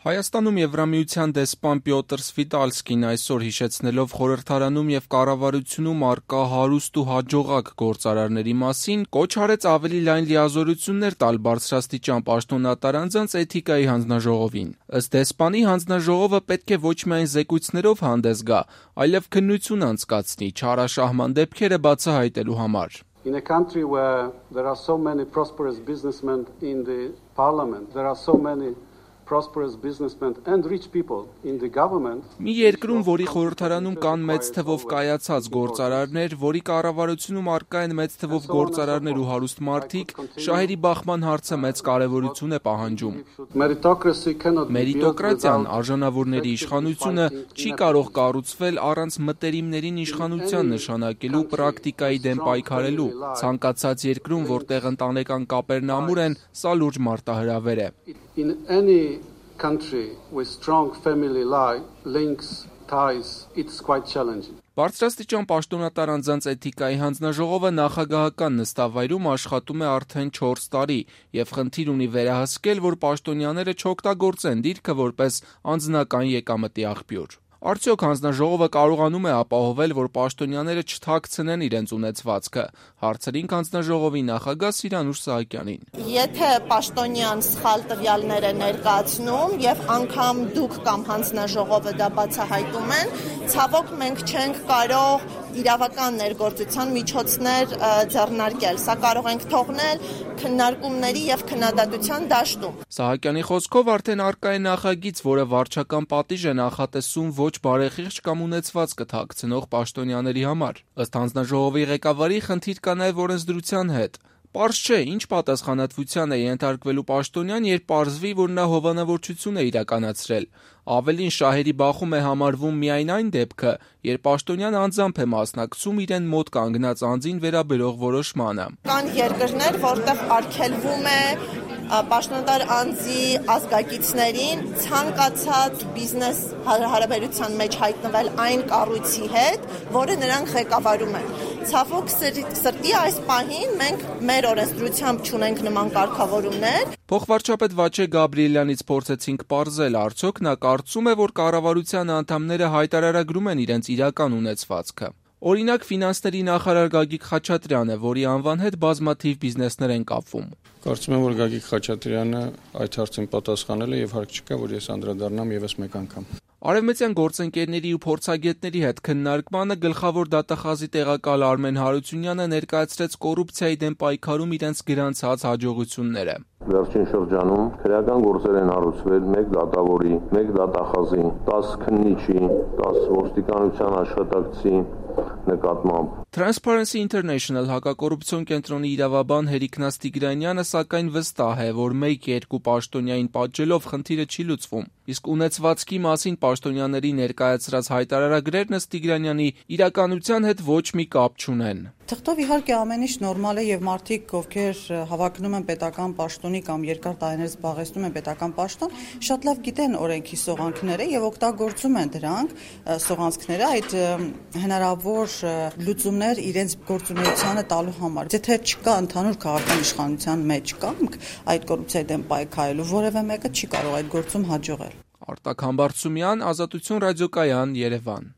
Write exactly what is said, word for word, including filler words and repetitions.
Հայաստանում Եվրամիության դեսպան Պյոտր Սվիտալսկին այսօր հիշեցնելով խորհրդարանում եւ կառավարությունում առկա հարուստ ու հաջողակ գործարարների մասին, կոչ արեց ավելի լայն լիազորություններ տալ բարձրաստիճան պաշտոնատար անձանց էթիկայի հանձնաժողովին։ Ըստ դեսպանի, հանձնաժողովը պետք է ոչ միայն զեկույցներով հանդես գա, այլև քննություն անցկացնի չարաշահման դեպքերը բացահայտելու համար։ In a country where there are so many prosperous businessmen in the parliament, there are so many prosperous businessmen and rich people in the government. Մի երկրում, որի խորհրդարանում կան մեծ թվով կայացած գործարարներ, որի կառավարությունում առկա են մեծ թվով գործարարներ ու հարուստ մարդիկ, շահերի բախման հարցը մեծ կարևորություն է պահանջում։ Մերիտոկրատիան, արժանավորների իշխանությունը չի կարող կառուցվել առանց մտերիմներին իշխանության նշանակելու պրակտիկայի դեմ պայքարելու։ Ցանկացած երկրում, որտեղ ընտանեկան կապերն ամուր են, սա լուրջ մարտահրավեր է։ In any country with strong family links, ties, it's quite challenging. Բարձրաստիճան պաշտոնատար անձանց էթիկայի հանձնաժողովը նախագահական նստավայրում աշխատում է արդեն չորս տարի եւ խնդիր ունի վերահսկել, որ պաշտոնյաները չօգտագործեն դիրքը որպես անձնական եկամտի աղբյուր։ Արդյոք հանձնաժողովը կարողանում է ապահովել, որ պաշտոնյաները չթաքցնեն իրենց ունեցվածքը, հարցրինք հանձնաժողովի նախագահ Սիրանուշ Սահակյանին։ Եթե պաշտոնյան սխալ տվյալներ է ներկայացնում եւ անգամ դուք կամ հանձնաժողովը դա բացահայտում են, ցավոք մենք չենք կարող իրավական ներգործության միջոցներ ձեռնարկել։ Սա կարող ենք թողնել քննարկումների եւ քննադատության դաշտում։ Սահակյանի խոսքով արդեն առկա է նախագիծ, որը վարչական պատիժ է նախատեսում ոչ բարեխիղճ կամ ունեցվածքը թաքցնող պաշտոնյաների համար։ Ըստ հանձնաժողովի ղեկավարի, խնդիր կա նաեւ օրենսդրության հետ։ Պարզ չէ, ինչ պատասխանատվության է ենթարկվելու պաշտոնյան, երբ պարզվի, որ նա հովանավորչություն է իրականացրել։ Ավելին, շահերի բախում է համարվում միայն այն դեպքը, երբ պաշտոնյան անձամբ է մասնակցում իրեն մոտ կանգնած անձին վերաբերող որոշմանը։ Կան երկրներ, որտեղ արգելվում է պաշտոնատար անձի ազգակիցներին ցանկացած բիզնես հարաբերության մեջ հայտնվել այն կառույցի հետ, որը նրանք ղեկավարում են։ Ցավոք սրտի այս պահին մենք մեր օրենսդրությամբ չունենք նման կարգավորումներ։ Փոխվարչապետ Վաչե Գաբրիելյանից փորձեցինք պարզել, արդյոք նա կարծում է, որ կառավարության անդամները հայտարարագրում են իրենց իրական ունեցվածքը։ Օրինակ, ֆինանսների նախարար Գագիկ Խաչատրյանը, որի անվան հետ բազմաթիվ բիզնեսներ են կապվում։ Կարծում եմ, որ Գագիկ Խաչատրյանը այդ հարցին պատասխանել է եւ հարկ չկա, որ ես անդրադառնամ եւս մեկ անգամ։ Արևմտյան գործընկերների ու փորձագետների հետ քննարկմանը գլխավոր դատախազի տեղակալ Արմեն Հարությունյանը ներկայացրեց կոռուպցիայի դեմ պայքարում իրենց գրանցած հաջողությունները։ Վերջին շրջանում քրեական գործեր են հարուցվել մեկ դատավորի, մեկ դատախազի, տասը քննիչի, տասը ոստիկանության աշխատակցի նկատմամբ։ Transparency International հակակոռուպցիոն կենտրոնի իրավաբան Հերիկնաս Տիգրանյանը սակայն վստահ է, որ մեկ-երկու պաշտոնյային պատժելով խնդիրը չի լուծվում։ Իսկ ունեցվածքի մասին պաշտոնյաների ներկայացրած հայտարարագրերն ըստ Տիգրանյանի իրականության հետ ոչ մի կապ չունեն։ Թղթով իհարկե ամեն ինչ նորմալ է եւ մարդիկ, ովքեր հավակնում են պետական պաշտոնի կամ երկար տարիներ զբաղեցնում են պետական պաշտոն, շատ լավ գիտեն օրենքի սողանքները եւ օգտագործում են դրանք սողանցքները այդ հնարավոր լուծումներ իրենց գործունեությանը տալու համար։ Եթե չկա ընդհանուր քաղաքական իշխանության մեջ կամք այդ կոռուպցիայի դեմ պայքարելու, որևէ մեկը չի կարող այդ գործում հաջողել։ Արտակ Համբարձումյան, Ազատություն ռադիոկայան, Երևան։